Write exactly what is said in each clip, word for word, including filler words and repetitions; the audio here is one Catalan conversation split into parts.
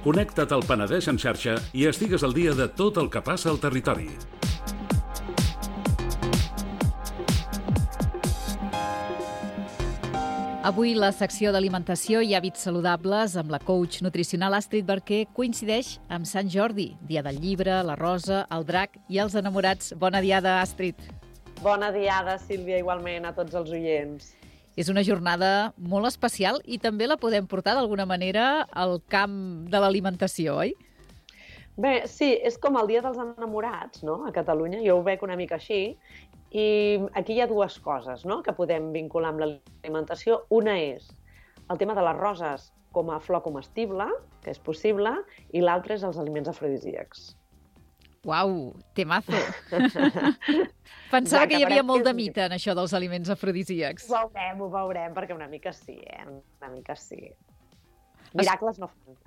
Connecta't al Penedès en xarxa i estigues al dia de tot el que passa al territori. Avui la secció d'alimentació i hàbits saludables amb la coach nutricional Astrid Barquer coincideix amb Sant Jordi, dia del llibre, la rosa, el drac i els enamorats. Bona diada, Astrid. Bona diada, Sílvia, igualment a tots els oients. És una jornada molt especial i també la podem portar d'alguna manera al camp de l'alimentació, oi? Bé, sí, és com el dia dels enamorats, no?, a Catalunya. Jo ho veig una mica així. I aquí hi ha dues coses, no?, que podem vincular amb l'alimentació. Una és el tema de les roses com a flor comestible, que és possible, i l'altra és els aliments afrodisíacs. Uau, temazo! Pensava ja, que, que hi havia molt de mite en això dels aliments afrodisíacs. Ho veurem, ho veurem, perquè una mica sí, eh? Una mica sí. Miracles no fan.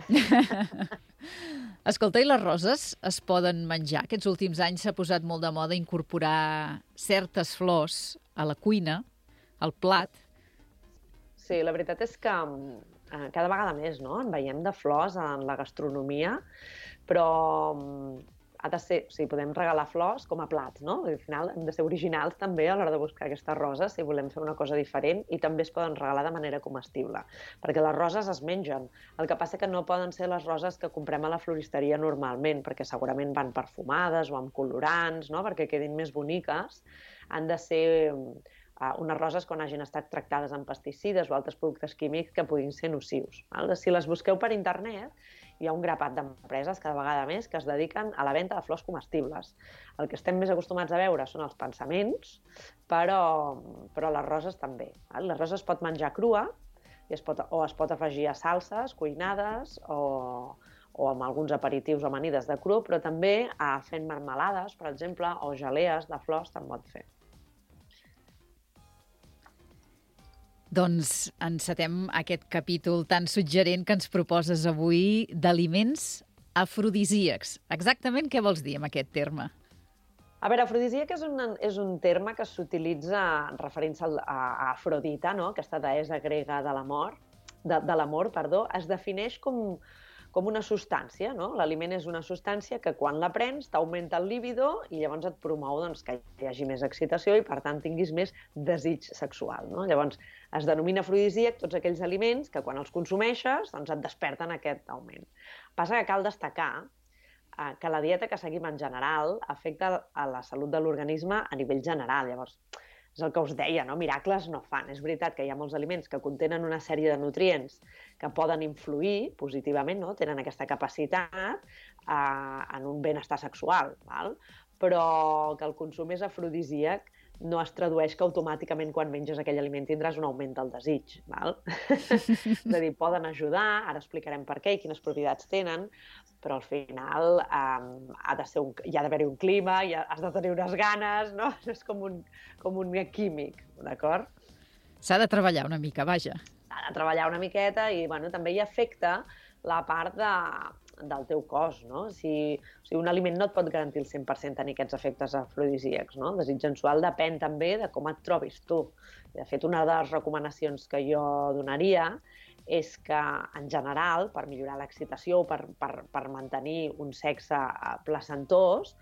Escolta, i les roses es poden menjar? Aquests últims anys s'ha posat molt de moda incorporar certes flors a la cuina, al plat. Sí, la veritat és que eh, cada vegada més, no?, en veiem de flors en la gastronomia, però ha de ser, o sigui, podem regalar flors com a plats, no? Al final hem de ser originals també a l'hora de buscar aquestes roses si volem fer una cosa diferent, i també es poden regalar de manera comestible, perquè les roses es mengen. El que passa que no poden ser les roses que comprem a la floristeria normalment, perquè segurament van perfumades o amb colorants, no?, perquè quedin més boniques. Han de ser uh, unes roses quan hagin estat tractades amb pesticides o altres productes químics que puguin ser nocius. Val? Si les busqueu per internet, hi ha un grapat d'empreses cada vegada més que es dediquen a la venda de flors comestibles. El que estem més acostumats a veure són els pensaments, però, però les roses també. Les roses es pot menjar crua i es pot, o es pot afegir a salses cuinades o, o amb alguns aperitius o amanides de cru, però també a fent marmelades, per exemple, o gelees de flors te'n pot fer. Doncs encetem aquest capítol tan suggerent que ens proposes avui d'aliments afrodisíacs. Exactament què vols dir amb aquest terme? A veure, afrodisíac és un, és un terme que s'utilitza referint-se a, a Afrodita, no?, aquesta deessa grega de l'amor, de, de l'amor, perdó. Es defineix com, com una substància, no? L'aliment és una substància que quan la prens t'augmenta el líbido i llavors et promou, doncs, que hi hagi més excitació i, per tant, tinguis més desig sexual, no? Llavors, es denomina afrodisíac tots aquells aliments que quan els consumeixes doncs et desperten aquest augment. Passa que cal destacar eh, que la dieta que seguim en general afecta a la salut de l'organisme a nivell general. Llavors, és el que us deia, no? Miracles no fan. És veritat que hi ha molts aliments que contenen una sèrie de nutrients que poden influir positivament, no?, tenen aquesta capacitat eh, en un benestar sexual, val? Però que el consum és afrodisíac no es tradueix que automàticament quan menges aquell aliment tindràs un augment del desig, val? És a dir, poden ajudar, ara explicarem per què i quines propietats tenen, però al final um, ha de ser un, hi ha d'haver-hi un clima, hi ha, has de tenir unes ganes, no? És com un, com un químic, d'acord? S'ha de treballar una mica, vaja. S'ha de treballar una miqueta i, bueno, també hi afecta la part de, del teu cos, no? Si, o sigui, un aliment no et pot garantir el cent per cent tenir aquests efectes afrodisíacs, no? El desig sensual depèn també de com et trobis tu. De fet, una de les recomanacions que jo donaria és que, en general, per millorar l'excitació, per, per, per mantenir un sexe placentós,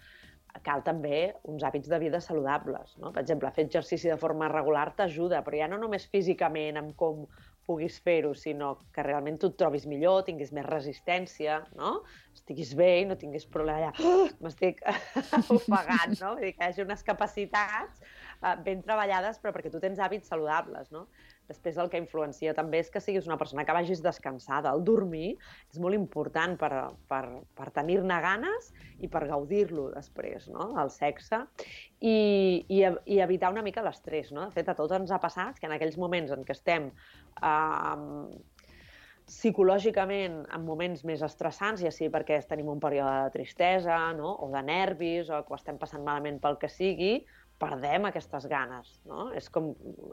cal també uns hàbits de vida saludables, no? Per exemple, fer exercici de forma regular t'ajuda, però ja no només físicament amb com puguis fer-ho, sinó que realment tu et trobis millor, tinguis més resistència, no? Estiguis bé i no tinguis problema allà, oh, m'estic ofegant, no? Vull dir que hi hagi unes capacitats uh, ben treballades, però perquè tu tens hàbits saludables, no? Després el que influencia també és que siguis una persona que vagis descansada. El dormir és molt important per, per, per tenir-ne ganes i per gaudir-lo després, no?, el sexe, i, i, i evitar una mica l'estrès, no? De fet, a tots ens ha passat que en aquells moments en què estem eh, psicològicament en moments més estressants, ja sigui perquè tenim un període de tristesa, no?, o de nervis, o que ho estem passant malament pel que sigui, perdem aquestes ganes, no? És com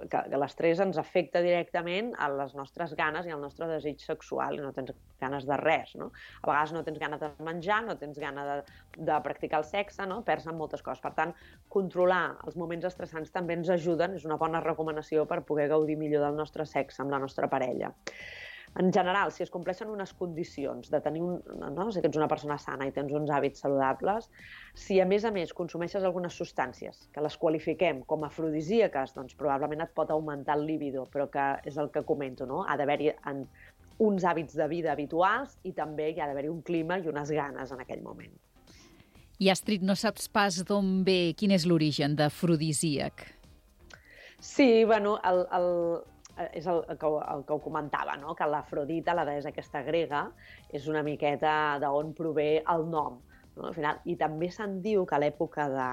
que, que l'estrès ens afecta directament a les nostres ganes i al nostre desig sexual, i no tens ganes de res, no? A vegades no tens ganes de menjar, no tens ganes de, de practicar el sexe, no? Perds en moltes coses. Per tant, controlar els moments estressants també ens ajuden, és una bona recomanació per poder gaudir millor del nostre sexe amb la nostra parella. En general, si es compleixen unes condicions de tenir un... No? Si ets una persona sana i tens uns hàbits saludables, si a més a més consumeixes algunes substàncies que les qualifiquem com afrodisíaques, doncs probablement et pot augmentar el líbido, però que és el que comento, no? Ha d'haver-hi uns hàbits de vida habituals i també hi ha d'haver-hi un clima i unes ganes en aquell moment. I, Astrid, no saps pas d'on ve, quin és l'origen d'afrodisíac? Sí, bueno, el... el... és el que, el que ho comentava, no? Que l'Afrodita, la deessa aquesta grega, és una miqueta d'on prové el nom. No? Al final, i també se'n diu que a l'època de,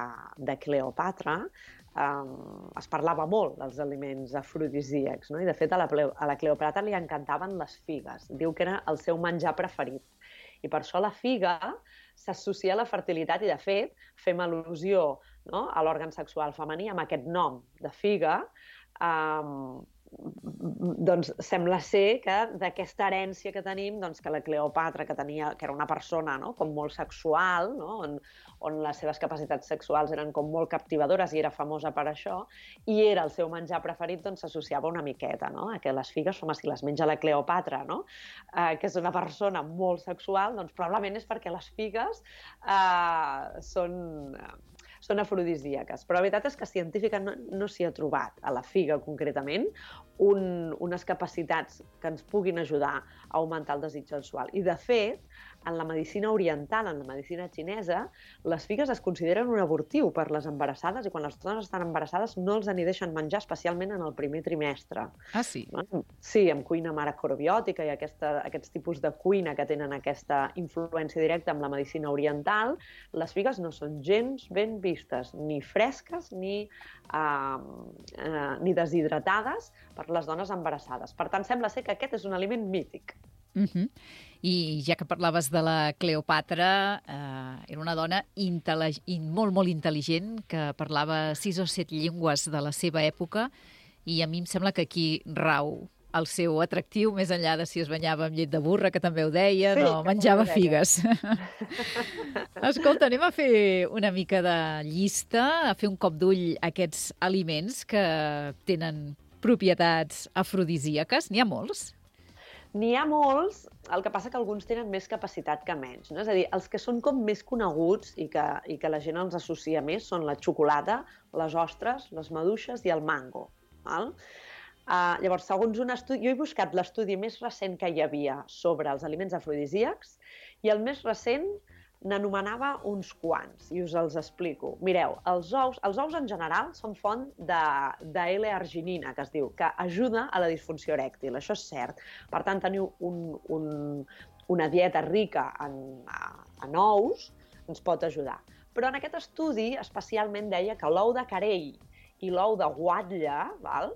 de Cleopatra eh, es parlava molt dels aliments afrodisíacs, no? I de fet a la, a la Cleopatra li encantaven les figues. Diu que era el seu menjar preferit. I per això la figa s'associa a la fertilitat i, de fet, fem al·lusió, no? A l'òrgan sexual femení amb aquest nom de figa. Eh, doncs sembla ser que d'aquesta herència que tenim, doncs que la Cleopatra, que tenia, que era una persona, no? Com molt sexual, no? on, on les seves capacitats sexuals eren com molt captivadores i era famosa per això, i era el seu menjar preferit, doncs s'associava una miqueta, no? A que les figues, home, si les menja la Cleopatra, no? Eh, que és una persona molt sexual, doncs probablement és perquè les figues eh, són... són afrodisíaques. Però la veritat és que científica no, no s'hi ha trobat, a la figa concretament, un, unes capacitats que ens puguin ajudar a augmentar el desig sexual. I, de fet, en la medicina oriental, en la medicina xinesa, les figues es consideren un abortiu per les embarassades i quan les dones estan embarassades no els n'hi deixen menjar, especialment en el primer trimestre. Ah, sí? Sí, amb cuina macrobiòtica i aquesta, aquests tipus de cuina que tenen aquesta influència directa amb la medicina oriental, les figues no són gens ben vistes, ni fresques ni, uh, uh, ni deshidratades per les dones embarassades. Per tant, sembla ser que aquest és un aliment mític. Uh-huh. I ja que parlaves de la Cleopatra, eh, era una dona molt, molt intel·ligent que parlava sis o set llengües de la seva època i a mi em sembla que aquí rau el seu atractiu, més enllà de si es banyava amb llet de burra, que també ho deia, sí, no, menjava figues. Escolta, anem a fer una mica de llista, a fer un cop d'ull a aquests aliments que tenen propietats afrodisíaques. N'hi ha molts? N'hi ha molts, el que passa que alguns tenen més capacitat que menys, no? És a dir, els que són com més coneguts i que, i que la gent els associa més són la xocolata, les ostres, les maduixes i el mango. Val? Uh, llavors, segons un estudi... Jo he buscat l'estudi més recent que hi havia sobre els aliments afrodisíacs i el més recent n'anomenava uns quants, i us els explico. Mireu, els ous, els ous en general són font de, de L-arginina, que es diu, que ajuda a la disfunció erèctil, això és cert. Per tant, teniu un, un, una dieta rica en, en ous ens pot ajudar. Però en aquest estudi especialment deia que l'ou de carell i l'ou de guatlla, val?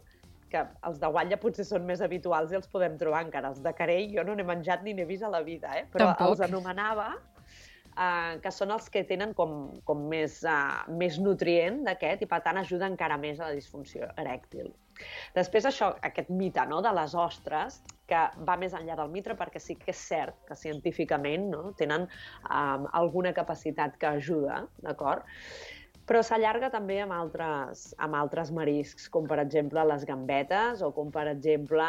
Que els de guatlla potser són més habituals i els podem trobar encara. Els de carell jo no n'he menjat ni n'he vist a la vida, eh? Però Tampoc. Els anomenava Uh, que són els que tenen com, com més, uh, més nutrient d'aquest i per tant ajuda encara més a la disfunció erèctil. Després això, aquest mite, no?, de les ostres, que va més enllà del mite perquè sí que és cert que científicament, no?, tenen um, alguna capacitat que ajuda, d'acord? Però s'allarga també amb altres, amb altres mariscs, com per exemple les gambetes o com per exemple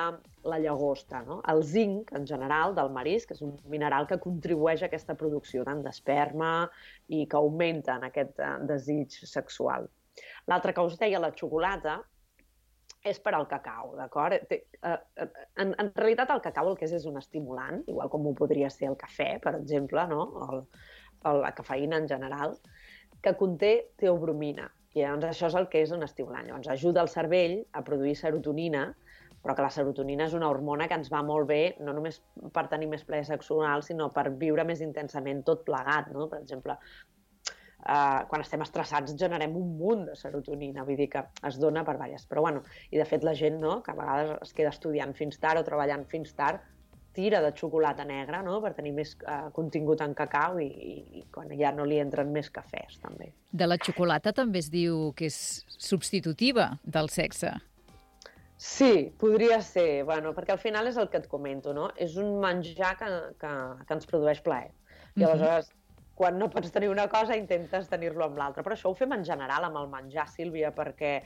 la llagosta, no? El zinc, en general, del marisc, és un mineral que contribueix a aquesta producció tant d'esperma i que augmenta en aquest desig sexual. L'altre que us deia, la xocolata, és per al cacau, d'acord? En, en realitat el cacau el que és és un estimulant, igual com ho podria ser el cafè, per exemple, no? O, o la cafeïna en general, que conté teobromina. I llavors això és el que és un estimulant. Llavors ajuda el cervell a produir serotonina, però que la serotonina és una hormona que ens va molt bé, no només per tenir més plaer sexual, sinó per viure més intensament tot plegat, no? Per exemple, eh, quan estem estressats generem un munt de serotonina, vull dir que es dona per diverses. Però bueno, i de fet la gent, no?, que a vegades es queda estudiant fins tard o treballant fins tard, tira de xocolata negra, no?, per tenir més uh, contingut en cacau i, i, i quan ja no li entren més cafès, també. De la xocolata també es diu que és substitutiva del sexe. Sí, podria ser, bueno, perquè al final és el que et comento, no? És un menjar que, que, que ens produeix plaer. I aleshores, uh-huh. quan no pots tenir una cosa, intentes tenir-lo amb l'altra. Però això ho fem en general amb el menjar, Sílvia, perquè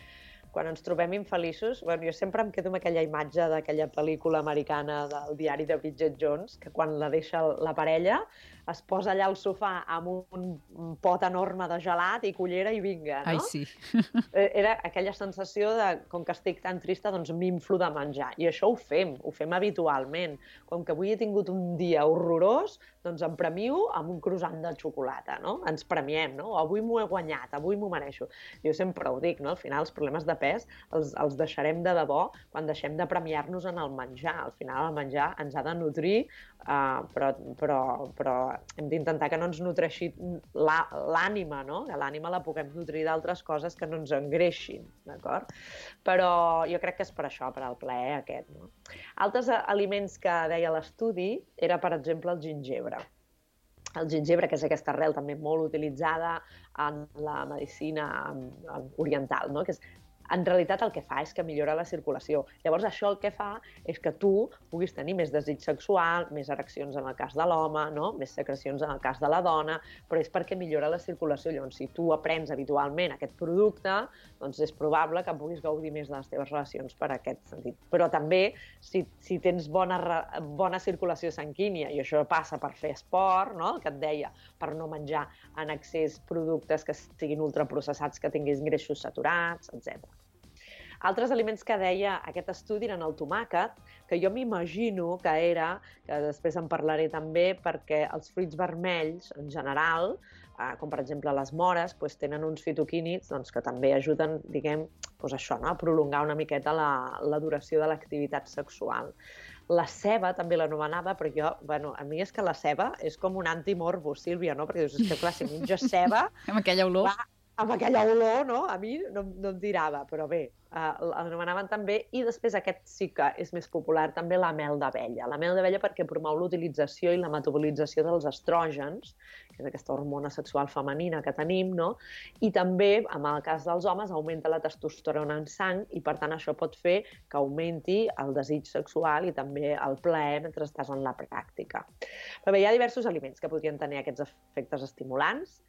quan ens trobem infeliços, bueno, jo sempre em quedo amb aquella imatge d'aquella pel·lícula americana del diari de Bridget Jones, que quan la deixa la parella es posa allà al sofà amb un, un pot enorme de gelat i cullera i vinga, no? Ai, sí. Era aquella sensació de, com que estic tan trista, doncs m'inflo de menjar. I això ho fem, ho fem habitualment. Com que avui he tingut un dia horrorós, doncs em premio amb un croissant de xocolata, no? Ens premiem, no? Avui m'ho he guanyat, avui m'ho mereixo. Jo sempre ho dic, no? Al final els problemes de pes els, els deixarem de debò quan deixem de premiar-nos en el menjar. Al final el menjar ens ha de nutrir, uh, però, però, però hem d'intentar que no ens nutreixi l'ànima, no? Que l'ànima la puguem nutrir d'altres coses que no ens engreixin, d'acord? Però jo crec que és per això, per al plaer aquest, no? Altres aliments que deia l'estudi era, per exemple, el gingebre. El gingebre, que és aquesta arrel també molt utilitzada en la medicina oriental, no? Que és, en realitat el que fa és que millora la circulació. Llavors això el que fa és que tu puguis tenir més desig sexual, més ereccions en el cas de l'home, no? Més secrecions en el cas de la dona, però és perquè millora la circulació. Llavors, si tu aprens habitualment aquest producte, doncs és probable que puguis gaudir més de les teves relacions per aquest sentit. Però també, si, si tens bona, bona circulació sanguínia, i això passa per fer esport, no? El que et deia, per no menjar en excés productes que siguin ultraprocessats, que tinguis greixos saturats, etcètera. Altres aliments que deia aquest estudi eren el tomàquet, que jo m'imagino que era, que després en parlaré també, perquè els fruits vermells, en general, eh, com per exemple les mores, doncs tenen uns fitoquímics doncs, que també ajuden, diguem, doncs això, no? A prolongar una miqueta la, la duració de l'activitat sexual. La ceba també l'anomenava, però jo, bueno, a mi és que la ceba és com un antimorbus, Sílvia, no? Perquè dius, és que clar, si menjo ceba... Amb aquella olor. Va, amb aquella olor, no? A mi no, no em tirava, però bé, eh, l'anomenaven també, i després aquest sí que és més popular, també la mel d'abella. La mel d'abella perquè promou l'utilització i la metabolització dels estrògens, que és aquesta hormona sexual femenina que tenim, no? I també, en el cas dels homes, augmenta la testosterona en sang i, per tant, això pot fer que augmenti el desig sexual i també el plaer mentre estàs en la pràctica. Però bé, hi ha diversos aliments que podrien tenir aquests efectes estimulants.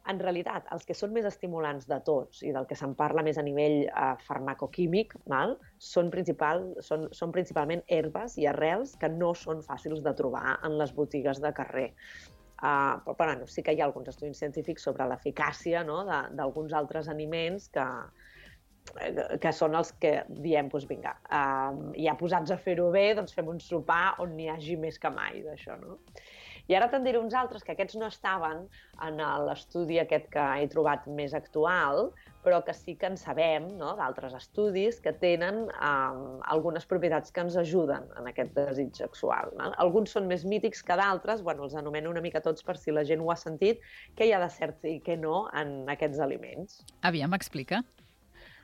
En realitat, els que són més estimulants de tots i del que se'n parla més a nivell eh, farmacoquímic, val? Són, principal, són, són principalment herbes i arrels que no són fàcils de trobar en les botigues de carrer. Uh, però bueno, sí que hi ha alguns estudis científics sobre l'eficàcia, no? d'alguns altres aliments que, que són els que diem, doncs vinga, uh, ja posats a fer-ho bé, doncs fem un sopar on n'hi hagi més que mai d'això, no? I ara te'n diré uns altres, que aquests no estaven en l'estudi aquest que he trobat més actual, però que sí que en sabem, no? D'altres estudis que tenen um, algunes propietats que ens ajuden en aquest desig sexual. No? Alguns són més mítics que d'altres, bueno, els anomeno una mica tots per si la gent ho ha sentit, què hi ha de cert i què no en aquests aliments. Aviam, explica.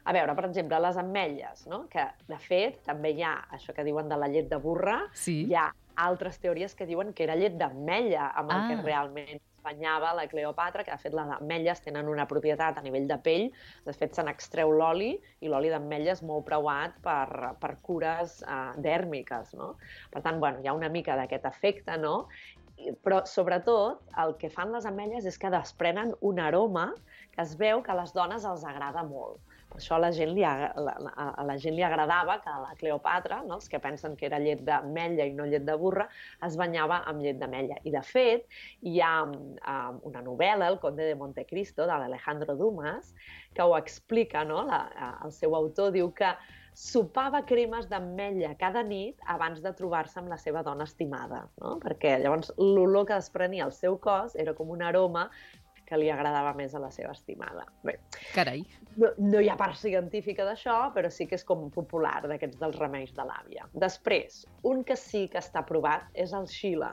A veure, per exemple, les ametlles, no? Que de fet també hi ha això que diuen de la llet de burra, sí. Hi ha altres teories que diuen que era llet d'ametlla amb el ah. que realment es banyava la Cleopatra, que de fet les ametlles tenen una propietat a nivell de pell, de fet se n'extreu l'oli i l'oli d'ametlla és molt preuat per, per cures uh, dèrmiques, no? Per tant, bueno, hi ha una mica d'aquest efecte, no? Però sobretot el que fan les ametlles és que desprenen un aroma que es veu que a les dones els agrada molt. Per això a la gent li, a, la, a la gent li agradava que la Cleopatra, no, els que pensen que era llet d'ametlla i no llet de burra, es banyava amb llet d'ametlla. I de fet, hi ha um, una novel·la, El conde de Montecristo, de l'Alejandro Dumas, que ho explica, no? La, el seu autor diu que sopava cremes d'ametlla cada nit abans de trobar-se amb la seva dona estimada, no? Perquè llavors l'olor que desprenia el seu cos era com un aroma que li agradava més a la seva estimada. Bé, carai. No, no hi ha part científica d'això, però sí que és com popular, d'aquests dels remeis de l'àvia. Després, un que sí que està provat és el xile.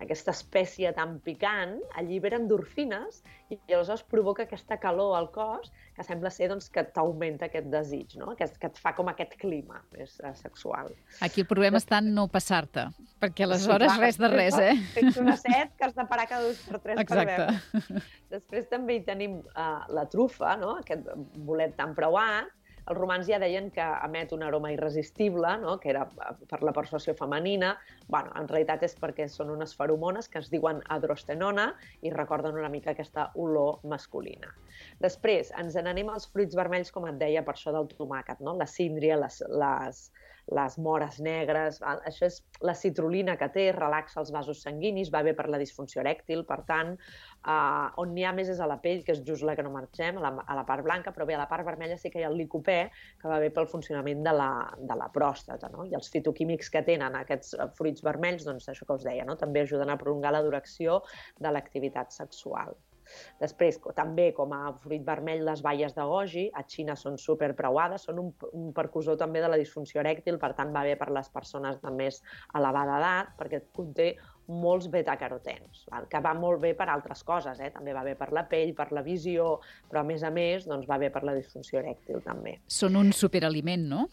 Aquesta espècie tan picant allibera endorfines i llavors provoca aquesta calor al cos que sembla ser doncs, que t'augmenta aquest desig, no? que, que et fa com aquest clima més uh, sexual. Aquí el problema està en no passar-te, perquè aleshores sí, clar, res de res, eh? Tens una set que has de parar cada dos per tres. Exacte. Per veure. Després també hi tenim uh, la trufa, no? Aquest bolet tan preuat, Els romans ja deien que emet una aroma irresistible, no? Que era per la persuasió femenina. Bueno, en realitat és perquè són unes feromones que es diuen adrostenona i recorden una mica aquesta olor masculina. Després, ens n'anem als fruits vermells, com et deia, per això del tomàquet, no? La síndria, les, les, les mores negres, val? Això és la citrulina que té, relaxa els vasos sanguinis, va bé per la disfunció erèctil, per tant, eh, on n'hi ha més és a la pell, que és just la que no marxem, a la, a la part blanca, però bé, a la part vermella sí que hi ha el licopè, que va bé pel funcionament de la, de la pròstata, no? I els fitoquímics que tenen aquests fruits vermells, doncs això que us deia, no? També ajuden a prolongar la duració de l'activitat sexual. Després, també com a fruit vermell, les baies de goji, a Xina són superpreuades, són un, un precursor també de la disfunció erèctil, per tant va bé per les persones de més elevada edat, perquè conté molts betacarotens, val? Que va molt bé per altres coses, eh? També va bé per la pell, per la visió, però a més a més doncs, va bé per la disfunció erèctil també. Són un superaliment, no?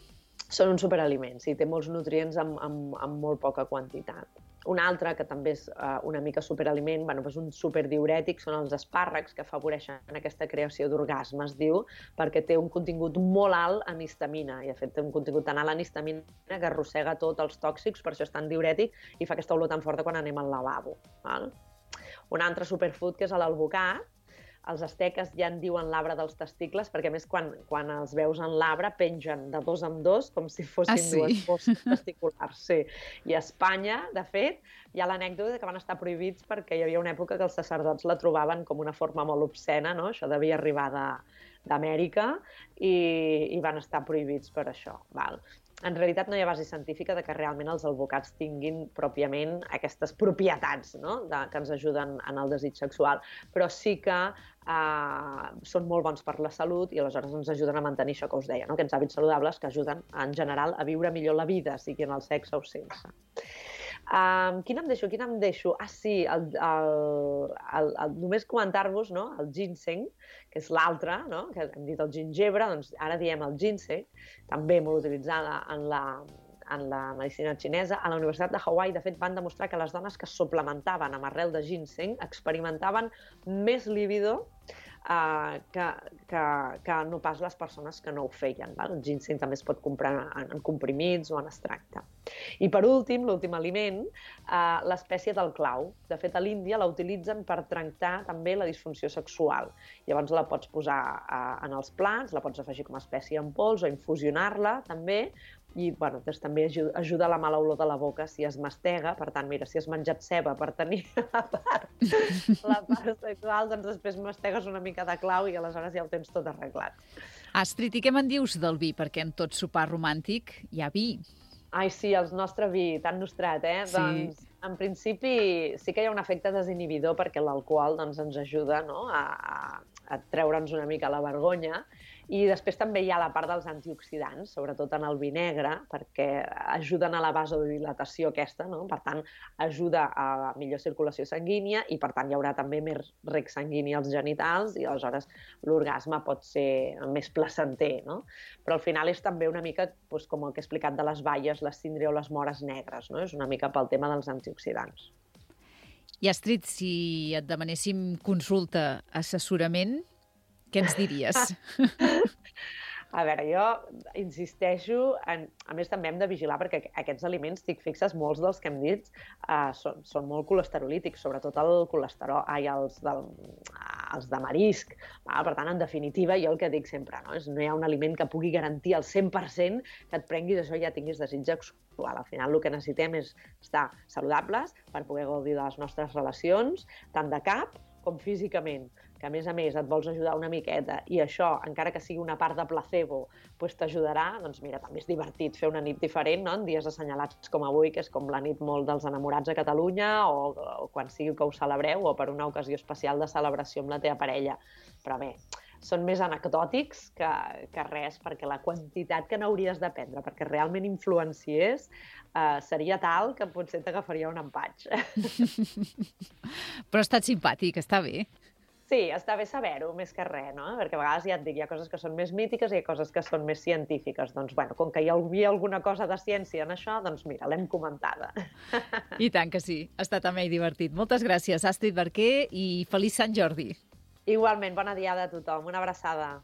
Són un superaliment, sí, té molts nutrients amb, amb, amb molt poca quantitat. Un altre, que també és uh, una mica superaliment, bueno, és un superdiurètic, són els espàrrecs, que afavoreixen aquesta creació d'orgasme, es diu, perquè té un contingut molt alt en histamina, i de fet té un contingut tan alt en histamina que arrossega tots els tòxics, per això és tan diurètic i fa aquesta olor tan forta quan anem al lavabo. Val? Un altre superfood, que és l'alvocat. Els asteques ja en diuen l'arbre dels testicles, perquè a més quan, quan els veus en l'arbre pengen de dos en dos, com si fossin ah, sí? dues fosses testiculars. Sí. I a Espanya, de fet, hi ha l'anècdota que van estar prohibits perquè hi havia una època que els sacerdots la trobaven com una forma molt obscena, no? Això devia arribar de, d'Amèrica i, i van estar prohibits per això. Val? En realitat no hi ha base científica de que realment els alvocats tinguin pròpiament aquestes propietats, no? De, que ens ajuden en el desig sexual, però sí que eh, són molt bons per la salut i aleshores ens ajuden a mantenir això que us deia, no? Aquests hàbits saludables que ajuden en general a viure millor la vida, sigui en el sexe o sense. Um, quin em deixo? Quin em deixo? Ah, sí, el, el, el, el, només comentar-vos, no? El ginseng, que és l'altre, no? Que hem dit el gingebre, doncs ara diem el ginseng, també molt utilitzada en la, en la medicina xinesa. A la Universitat de Hawaii, de fet, van demostrar que les dones que suplementaven amb arrel de ginseng experimentaven més líbido Uh, que, que, que no pas les persones que no ho feien. Val? El ginseng també es pot comprar en, en comprimits o en extracte. I per últim, l'últim aliment, uh, l'espècie del clau. De fet, a l'Índia la utilitzen per tractar també la disfunció sexual. Llavors la pots posar uh, en els plats, la pots afegir com a espècie en pols o infusionar-la també, i bueno, doncs, també ajuda, ajuda a la mala olor de la boca si es mastega. Per tant, mira, si has menjat ceba per tenir la part, la part sexual, doncs després mastegues una mica de clau i aleshores ja ho tens tot arreglat. Astrid, i què me'n dius del vi? Perquè en tot sopar romàntic hi ha vi. Ai, sí, el nostre vi, tan nostrat, eh? Sí. Doncs, en principi, sí que hi ha un efecte desinhibidor perquè l'alcohol doncs, ens ajuda, no? a, a, a treure'ns una mica la vergonya. I després també hi ha la part dels antioxidants, sobretot en el vi negre, perquè ajuden a la vasodilatació aquesta, no? Per tant, ajuda a millor circulació sanguínia i, per tant, hi haurà també més rec sanguini als genitals i, aleshores, l'orgasme pot ser més placenter, no? Però al final és també una mica doncs, com el que he explicat de les baies, la síndria o les mores negres, no? És una mica pel tema dels antioxidants. I, Astrid, si et demanéssim consulta, assessorament, què ens diries? A veure, jo insisteixo, en, a més també hem de vigilar perquè aquests aliments, estic fixes, molts dels que hem dit uh, són, són molt colesterolítics, sobretot el colesterol, ai, els, del, els de marisc. Va? Per tant, en definitiva, jo el que dic sempre, no? És no hi ha un aliment que pugui garantir al cent per cent que et prenguis això i ja tinguis desig sexual. Al final el que necessitem és estar saludables per poder gaudir de les nostres relacions, tant de cap com físicament, que a més a més et vols ajudar una miqueta i això, encara que sigui una part de placebo, doncs t'ajudarà, doncs mira, també és divertit fer una nit diferent, no? En dies assenyalats com avui, que és com la nit molt dels enamorats a Catalunya, o, o quan sigui que ho celebreu, o per una ocasió especial de celebració amb la teva parella. Però bé, són més anecdòtics que, que res, perquè la quantitat que n'hauries de prendre perquè realment influenciés eh, seria tal que potser t'agafaria un empatx. Però ha estat simpàtic, està bé. Sí, està bé saber-ho, més que res, no? Perquè a vegades ja et dic, hi ha coses que són més mítiques i hi ha coses que són més científiques. Doncs, bueno, com que hi havia alguna cosa de ciència en això, doncs mira, l'hem comentada. I tant que sí, ha estat amè i divertit. Moltes gràcies, Astrid Barquer, i feliç Sant Jordi. Igualment, bona diada a tothom. Una abraçada.